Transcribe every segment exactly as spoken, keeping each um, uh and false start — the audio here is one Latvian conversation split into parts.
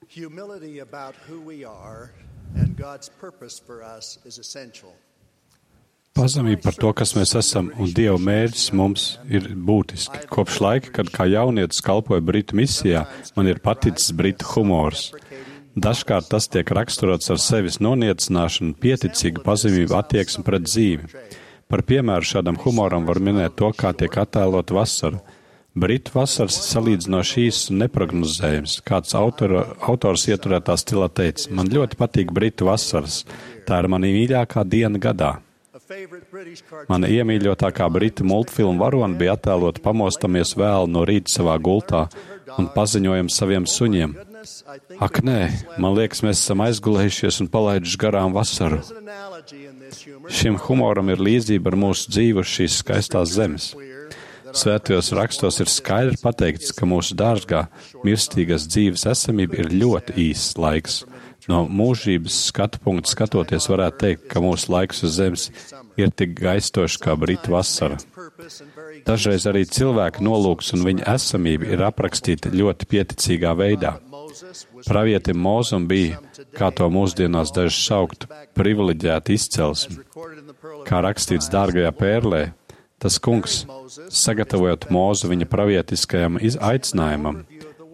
Humility about who we are and God's purpose for us is essential. Pazemība par to, kas mēs esam, un Dieva mērķis mums ir būtiski. Kopš laika, kad kā jaunietis kalpoju Britu misijā, man ir paticis Britu humors. Dažkārt tas tiek raksturots ar sevis noniecināšanu, pieticīgu pazemību attieksmi pret dzīvi. Par piemēru šādam humoram var minēt to, kā tiek attēlot vasara. Britu vasaras salīdzinoši īsts un neprognozējams. Kāds autora, autors ieturētā stilā teica, man ļoti patīk Britu vasaras. Tā ir mana mīļākā diena gadā. Mana iemīļotākā Britu multfilmu varona bija attēlot pamostamies vēl no rīta savā gultā un paziņojam saviem suņiem. Ak, nē, man liekas, mēs esam aizgulējušies un palaiduši garām vasaru. Šim humoram ir līdzība ar mūsu dzīvi uz šīs skaistās zemes. Svētajos rakstos ir skaidri pateikts, ka mūsu dārgā, mirstīgas dzīves esamība ir ļoti īss laiks. No mūžības skatu punkta skatoties varētu teikt, ka mūsu laiks uz zemes ir tik gaistošs kā Britu vasara. Dažreiz arī cilvēka nolūks un viņa esamība ir aprakstīta ļoti pieticīgā veidā. Pravietim Mozum bija, kā to mūsdienās daži saukt, privileģēta izcelsme. Kā rakstīts dārgajā pērlē, tas kungs, sagatavojot Mozu viņa pravietiskajam aicinājumam,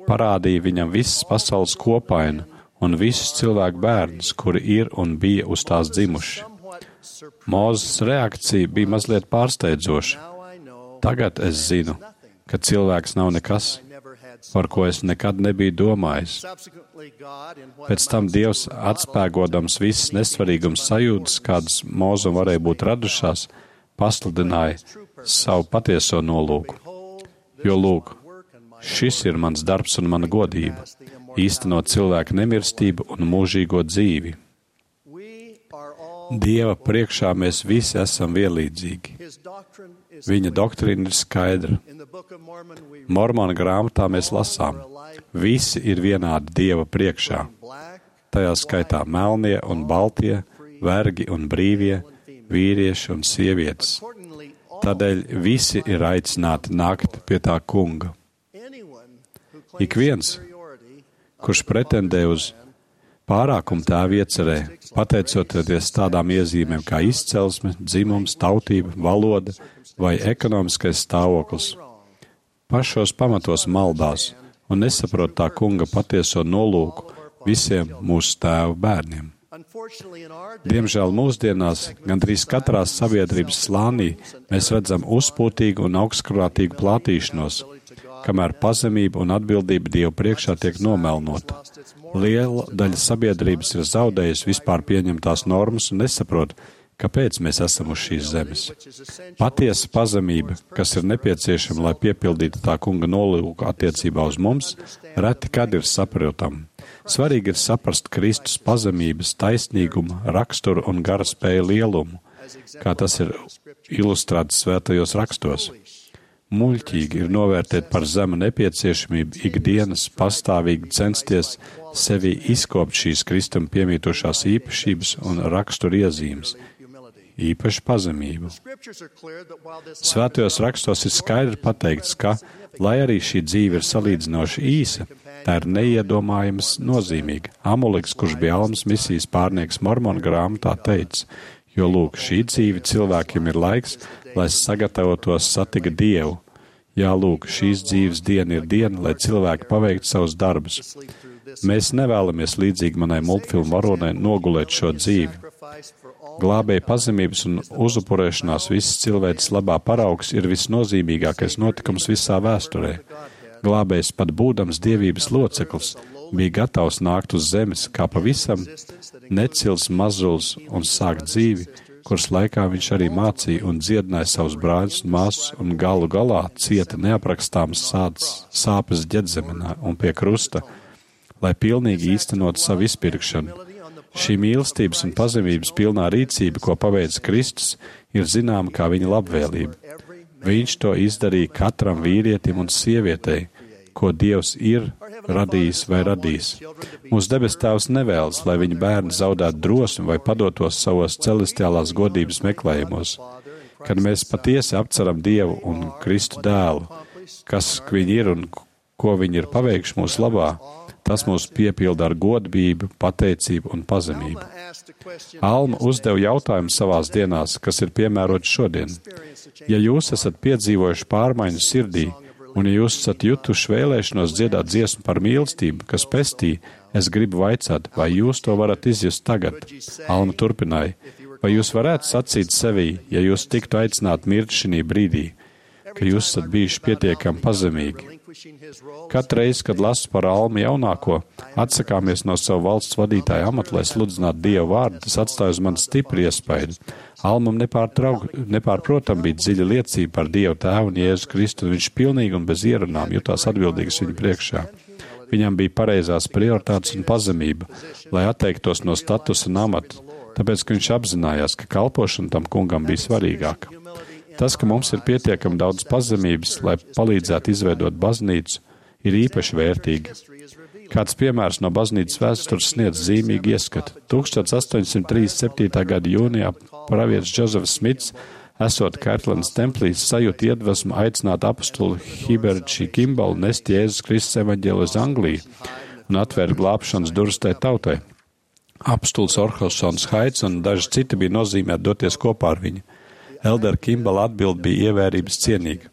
parādīja viņam visas pasaules kopainu un visus cilvēku bērnus, kuri ir un bija uz tās dzimuši. Mozes reakcija bija mazliet pārsteidzoša. Tagad es zinu, ka cilvēks nav nekas, par ko es nekad nebiju domājis. Pēc tam Dievs, atspēgodams visas nesvarīgums sajūtas, kādas Mozum varēja būt radušās, pasludināja savu patieso nolūku. Jo lūk, šis ir mans darbs un mana godība, īstenot cilvēka nemirstību un mūžīgo dzīvi. Dieva priekšā mēs visi esam vienlīdzīgi. Viņa doktrīna ir skaidra. Mormona grāmatā mēs lasām, visi ir vienādi Dieva priekšā. Tajā skaitā melnie un baltie, vergi un brīvie, vīrieši un sievietes. Tādēļ visi ir aicināti nākt pie tā kunga. Ik viens, kurš pretendē uz pārākumu tēvu iecerē, pateicoties tādām iezīmēm kā izcelsme, dzimums, tautība, valoda vai ekonomiskais stāvoklis, pašos pamatos maldās un nesaprot tā kunga patieso nolūku visiem mūsu tēvu bērniem. Diemžēl mūsdienās gandrīz katrā sabiedrības slānī mēs redzam uzpūtīgu un augstkrātīgu plātīšanos, kamēr pazemība un atbildība Dievu priekšā tiek nomelnota. Liela daļa sabiedrības ir zaudējusi vispār pieņemtās normas un nesaprot, kāpēc mēs esam uz šīs zemes. Patiesa pazemība, kas ir nepieciešama, lai piepildītu tā kunga nolūku attiecībā uz mums, reti kad ir saprotama. Svarīgi ir saprast Kristus pazemības, taisnīgumu, raksturu un gara spēju lielumu, kā tas ir ilustrēts svētajos rakstos. Muļķīgi ir novērtēt par zemu nepieciešamību ikdienas pastāvīgi censties sevi izkopt šīs Kristum piemītošās īpašības un rakstura iezīmes, īpaši pazemību. Svētajos rakstos ir skaidri pateikts, ka, lai arī šī dzīve ir salīdzinoši īsa, tā ir neiedomājams nozīmīga. Amuliks, kurš bija Almas misijas pārnieks Mormona grāmatā, teica, jo lūk, šī dzīve cilvēkiem ir laiks, lai sagatavotos satikt Dievu. Jā, lūk, šīs dzīves diena ir diena, lai cilvēki paveiktu savus darbus. Mēs nevēlamies līdzīgi manai multfilmu varonai nogulēt šo dzīvi. Glābēja pazemības un uzupurēšanās visas cilvēces labā paraugs ir visnozīmīgākais notikums visā vēsturē. Glābējs, pat būdams dievības loceklis, bija gatavs nākt uz zemes kā pavisam necils mazulis un sākt dzīvi, kuras laikā viņš arī mācīja un dziedināja savus brāļus un māsas un galu galā cieta neaprakstāmas sāds, sāpes ģedzemenā un pie krusta, lai pilnīgi īstenot savu izpirkšanu. Šī mīlestības un pazemības pilnā rīcība, ko paveic Kristus, ir zināma kā viņa labvēlība. Viņš to izdarīja katram vīrietim un sievietei, ko Dievs ir radījis vai radījis. Mūsu debes Tēvs nevēlas, lai viņa bērni zaudētu drosmi vai padotos savos celestiālās godības meklējumos. Kad mēs patiesi apceram Dievu un Kristu dēlu, kas viņi ir un ko viņi ir paveikuši mūsu labā, Tas mūs piepilda ar godbību, pateicību un pazemību. Alma uzdeva jautājumu savās dienās, kas ir piemērots šodien. Ja jūs esat piedzīvojuši pārmaiņu sirdī, un ja jūs esat jutuši vēlēšanos dziedāt dziesmu par mīlestību, kas pestī, es gribu vaicāt, vai jūs to varat izjust tagad? Alma turpināja, vai jūs varētu sacīt sevī, ja jūs tiktu aicināt mirt šī brīdī, ka jūs esat bijuši pietiekami pazemīgi? Katru reizi, kad lasu par Almu jaunāko, atsakāmies no savu valsts vadītāju amatu, lai sludinātu Dievu vārdu, tas atstāja uz mani stipri iespaidu. Almam nepārprotam bija dziļa liecība par Dievu Tēvu un Jēzu Kristu, un viņš pilnīgi un bez ierunām jutās atbildīgs viņu priekšā. Viņam bija pareizās prioritātes un pazemība, lai atteiktos no statusa un amata, tāpēc, ka viņš apzinājās, ka kalpošana tam kungam bija svarīgāka. Tas, ka mums ir pietiekami daudz pazemības, lai palīdzētu izveidot baznīcu, ir īpaši vērtīgi. Kāds piemērs no baznīcas vēstures sniedz zīmīgi ieskatu. tuldstoš astoņsimt trīsdesmit septītā gada jūnijā pravietis Džozefs Smits, esot Kirtlandas templī, sajūta iedvesmu aicināt apostuli Hiberčī Kimbalu nest Jēzus Kristus evaņģēli uz Angliju un atvērt glābšanas durvis tai tautai. Apostols Orholsons Haits un daži citi bija nozīmēti doties kopā ar viņu. Eldera Kimbala atbild bija ievērības cienīga.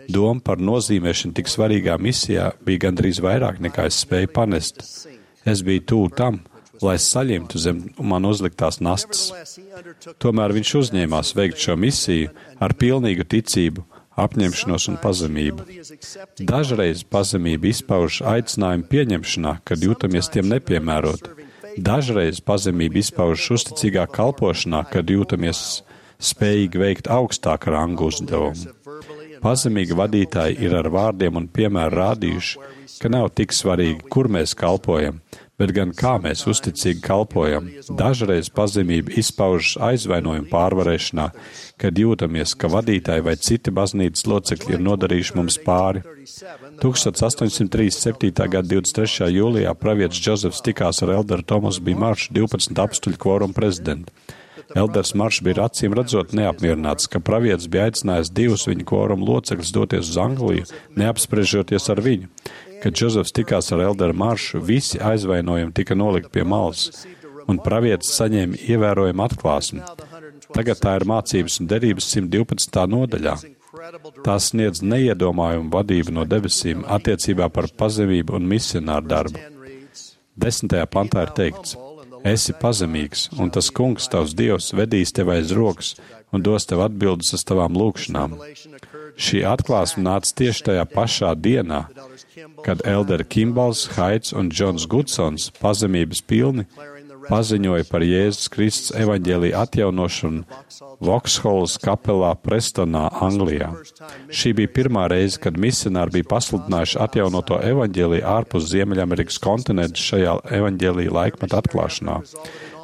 Doma par nozīmēšanu tik svarīgā misijā bija gandrīz vairāk nekā es spēju panest. Es biju tuvu tam, lai es saņemtu zem man uzliktās nastas. Tomēr viņš uzņēmās veikt šo misiju ar pilnīgu ticību, apņemšanos un pazemību. Dažreiz pazemība izpauž aicinājumu pieņemšanā, kad jūtamies tiem nepiemērot. Dažreiz pazemība izpauž uzticīgā kalpošanā, kad jūtamies spējīgi veikt augstāku rangu uzdevumu. Pazemīgi vadītāji ir ar vārdiem un piemēru rādījuši, ka nav tik svarīgi, kur mēs kalpojam, bet gan kā mēs uzticīgi kalpojam. Dažreiz pazemība izpaužas aizvainojumu pārvarēšanā, kad jūtamies, ka vadītāji vai citi baznīcas locekļi ir nodarījuši mums pāri. tuldstoš astoņsimt trīsdesmit septītā gada divdesmit trešajā jūlijā pravietis Džozefs tikās ar elderu Tomasu B. Maršu, divpadsmit apstuļu kvorumu prezidentu. Elders Maršs bija acīm redzot neapmierināts, ka pravietis bija aicinājis divus viņa kvorumu locekļus doties uz Angliju, neapspriežoties ar viņu. Kad Džozefs tikās ar elderu Maršu, visi aizvainojumi tika nolikt pie malas, un pravietis saņēma ievērojumu atklāsmi. Tagad tā ir mācības un derības simt divpadsmitā nodaļā. Tās sniedz neiedomājumu vadību no debesīm attiecībā par pazemību un misionāru darbu. Desmitajā pantā ir teikts: esi pazemīgs, un tas kungs, tavs Dievs, vedīs tev aiz rokas un dos tev atbildes uz tavām lūgšanām. Šī atklāsme nāca tieši tajā pašā dienā, kad elderi Kimbals, Haits un Džons Gudsons pazemības pilni paziņoja par Jēzus Kristus evaņģēlija atjaunošanu Vauxhalls kapelā Prestonā, Anglijā. Šī bija pirmā reize, kad misionāri bija pasludinājuši atjaunoto evaņģēliju ārpus Ziemeļamerikas kontinentu šajā evaņģēlija laikmeta atklāšanā.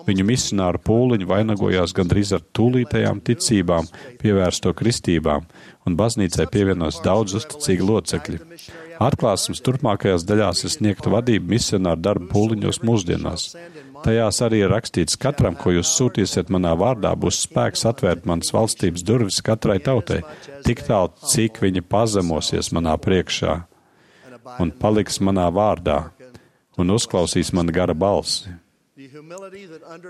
Viņu misionāru pūliņi vainagojās gandrīz ar tūlītējām ticībām, pievērsto kristībām, un baznīcai pievienos daudz uzticīgi locekļi. Atklāsmes turpmākajās daļās ir sniegta vadība misionāru darba pūliņos mūsdienās. Tajās arī ir rakstīts: katram, ko jūs sūtīsiet manā vārdā, būs spēks atvērt manas valstības durvis katrai tautai, tik tālu, cik viņi pazemosies manā priekšā un paliks manā vārdā un uzklausīs man gara balsi.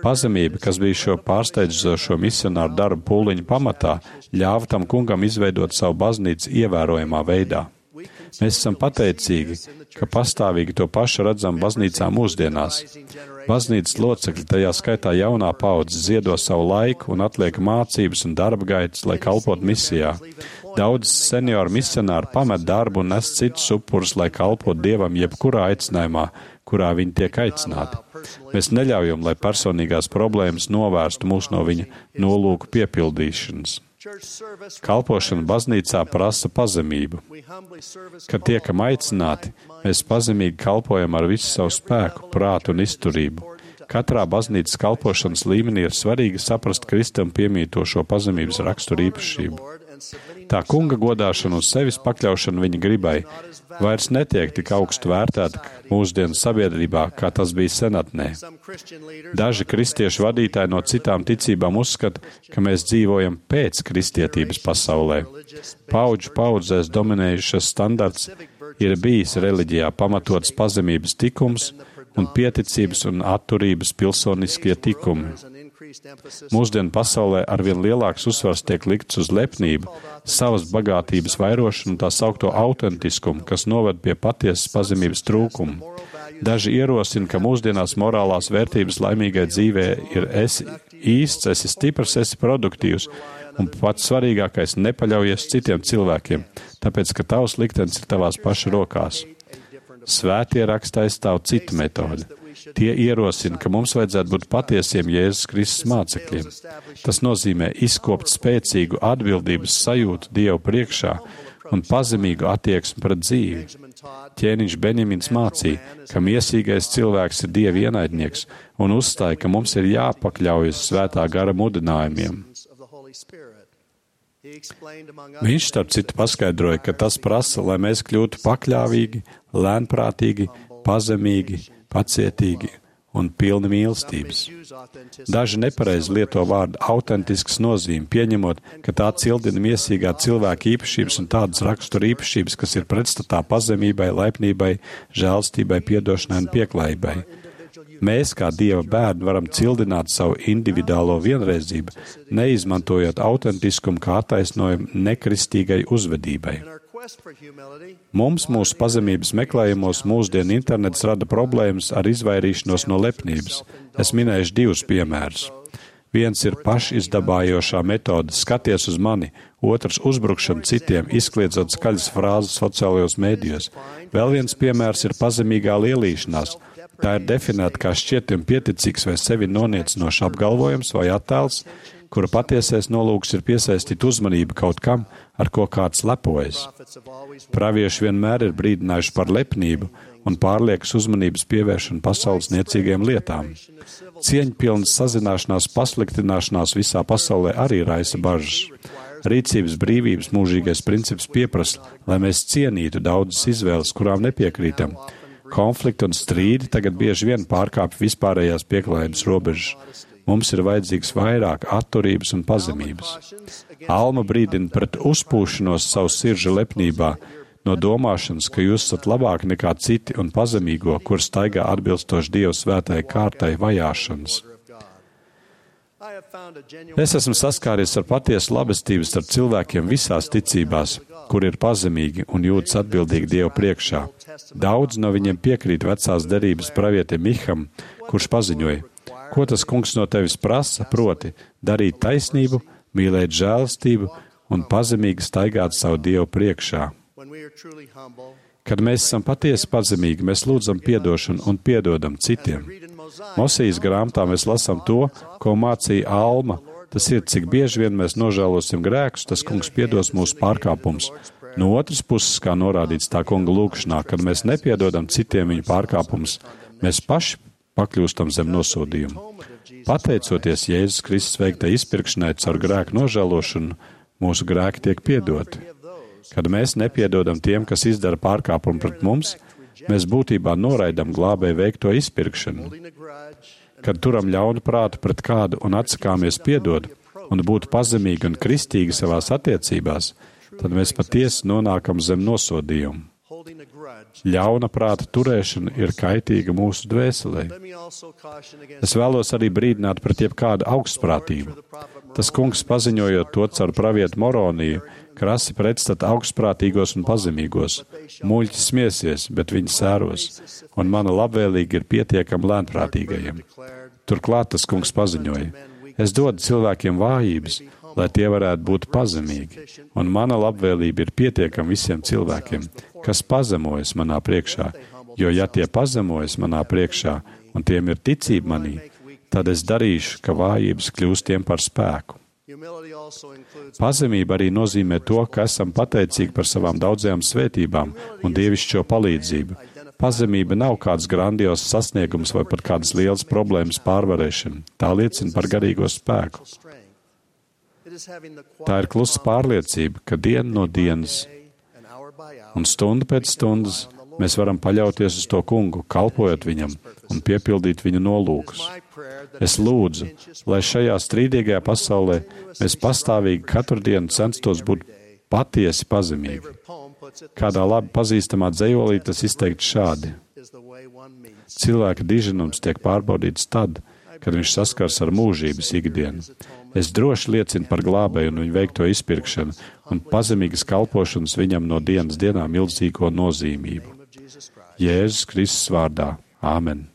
Pazemība, kas bija šo pārsteidzošo misionāru darbu pūliņu pamatā, ļāva tam kungam izveidot savu baznīcu ievērojamā veidā. Mēs esam pateicīgi, ka pastāvīgi to pašu redzam baznīcā mūsdienās. Baznīcas locekļi, tajā skaitā jaunā paudze, ziedo savu laiku un atliek mācības un darba gaitas, lai kalpotu misijā. Daudz senioru misionāri pamet darbu un nes citus upurus, lai kalpotu Dievam jebkurā aicinājumā, kurā viņi tiek aicināti. Mēs neļaujam, lai personīgās problēmas novērstu mūs no viņa nolūku piepildīšanas. Kalpošana baznīcā prasa pazemību. Kad tiekam aicināti, mēs pazemīgi kalpojam ar visu savu spēku, prātu un izturību. Katrā baznīcas kalpošanas līmenī ir svarīgi saprast Kristam piemītošo pazemības raksturu īpašību. Tā kunga godāšana un sevis pakļaušana viņa gribai vairs netiek tik augstu vērtēta mūsdienu sabiedrībā, kā tas bija senatnē. Daži kristiešu vadītāji no citām ticībām uzskata, ka mēs dzīvojam pēc kristietības pasaulē. Paudžu paudzēs dominējušas standarts, ir bijis reliģijā pamatots pazemības tikums un pieticības un atturības pilsoniskie tikumi. Mūsdienu pasaulē arvien lielāks uzsvars tiek likts uz lepnību, savas bagātības vairošanu un tā saukto autentiskumu, kas noved pie patiesas pazemības trūkumu. Daži ierosina, ka mūsdienās morālās vērtības laimīgai dzīvē ir esi īsts, esi stiprs, esi produktīvs, un pats svarīgākais nepaļaujies citiem cilvēkiem, tāpēc, ka tavs liktenis ir tavās paša rokās. Svētie raksti aizstāv citu metodi. Tie ierosina, ka mums vajadzētu būt patiesiem Jēzus Kristus mācekļiem. Tas nozīmē izkopt spēcīgu atbildības sajūtu Dievu priekšā un pazemīgu attieksmi pret dzīvi. Ķēniņš Benjamins mācīja, ka miesīgais cilvēks ir Dieva ienaidnieks un uzstāja, ka mums ir jāpakļaujas svētā gara mudinājumiem. Viņš starp citu paskaidroja, ka tas prasa, lai mēs kļūtu pakļāvīgi, lēnprātīgi, pazemīgi, pacietīgi un pilni mīlestības. Daži nepareizi lieto vārdu autentisks nozīme, pieņemot, ka tā cildina miesīgā cilvēka īpašības un tādas rakstura īpašības, kas ir pretstatā pazemībai, laipnībai, žēlstībai, piedošanai un pieklājībai. Mēs, kā Dieva bērni, varam cildināt savu individuālo vienreizību, neizmantojot autentiskumu kā attaisnojumu nekristīgai uzvedībai. Mums mūsu pazemības meklējumos mūsdienu internets rada problēmas ar izvairīšanos no lepnības. Es minēšu divus piemērus. Viens ir pašizdabājošā metode skaties uz mani, otrs uzbrukšana citiem, izkliedzot skaļas frāzes sociālajos mēdījos. Vēl viens piemērs ir pazemīgā lielīšanās. Tā ir definēta kā šķietim pieticīgs vai sevi noniecinošs apgalvojums vai attēls, kura patiesais nolūks ir piesaistīt uzmanību kaut kam, ar ko kāds lepojas. Pravieši vienmēr ir brīdinājuši par lepnību un pārliekas uzmanības pievēršanu pasaules niecīgiem lietām. Cieņpilnas sazināšanās pasliktināšanās visā pasaulē arī raisa bažas. Rīcības brīvības mūžīgais princips pieprasa, lai mēs cienītu daudzas izvēles, kurām nepiekrītam. Konflikti un strīdi tagad bieži vien pārkāpj vispārējās pieklājības robežas. Mums ir vajadzīgs vairāk atturības un pazemības. Alma brīdina pret uzpūšanos savu sirža lepnībā, no domāšanas, ka jūs esat labāki nekā citi un pazemīgo, kur staigā atbilstoši Dieva svētai kārtai vajāšanas. Es esmu saskāries ar patiesu labestību starp cilvēkiem visās ticībās, kur ir pazemīgi un jūtas atbildīgi Dievu priekšā. Daudz no viņiem piekrīt vecās derības pravietim Miham, kurš paziņoja: ko tas kungs no tevis prasa, proti darīt taisnību, mīlēt žēlastību un pazemīgi staigāt savu Dievu priekšā. Kad mēs esam patiesi pazemīgi, mēs lūdzam piedošanu un piedodam citiem. Mosejas grāmatā mēs lasām to, ko mācīja Alma. Tas ir, cik bieži vien mēs nožēlosim grēkus, tas kungs piedos mūsu pārkāpumus. No otras puses, kā norādīts tā kunga lūkšanā, kad mēs nepiedodam citiem viņu pārkāpumus, mēs paši pakļūstam zem nosodījumu. Pateicoties Jēzus Kristus veiktai izpirkšanai caur grēku nožēlošanu, mūsu grēki tiek piedoti. Kad mēs nepiedodam tiem, kas izdara pārkāpumu pret mums, mēs būtībā noraidam glābēju veikto izpirkšanu. Kad turam ļaunu prātu pret kādu un atsakāmies piedot un būt pazemīgi un kristīgi savās attiecībās, tad mēs patiesi nonākam zem nosodījumu. Ļauna prāta turēšana ir kaitīga mūsu dvēselē. Es vēlos arī brīdināt pret jebkādu augstprātību. Tas kungs, paziņojot to caur pravietu Moroniju, krasi pretstata augstprātīgos un pazemīgos. Muļķis smiesies, bet viņi sēros, un mana labvēlīga ir pietiekama lēnprātīgajiem. Turklāt tas kungs paziņoja: es dodu cilvēkiem vājības, lai tie varētu būt pazemīgi, un mana labvēlība ir pietiekama visiem cilvēkiem, kas pazemojas manā priekšā, jo ja tie pazemojas manā priekšā, un tiem ir ticība manī, tad es darīšu, ka vājības kļūst tiem par spēku. Pazemība arī nozīmē to, ka esam pateicīgi par savām daudzajām svētībām un dievišķo palīdzību. Pazemība nav kāds grandios sasniegums vai pat kādas lielas problēmas pārvarēšana. Tā liecina par garīgo spēku. Tā ir klusa pārliecība, ka diena no dienas un stunda pēc stundas mēs varam paļauties uz to kungu, kalpojot viņam un piepildīt viņa nolūkus. Es lūdzu, lai šajā strīdīgajā pasaulē mēs pastāvīgi katru dienu censtos būt patiesi pazemīgi. Kādā labi pazīstamā dzejolī tas izteikts šādi. Cilvēka diženums tiek pārbaudīts tad, kad viņš saskars ar mūžības ikdienu. Es droši liecinu par glābēju un viņu veikto izpirkšanu un pazemīgas kalpošanas viņam no dienas dienā milzīgo nozīmību. Jēzus Kristus vārdā. Āmen.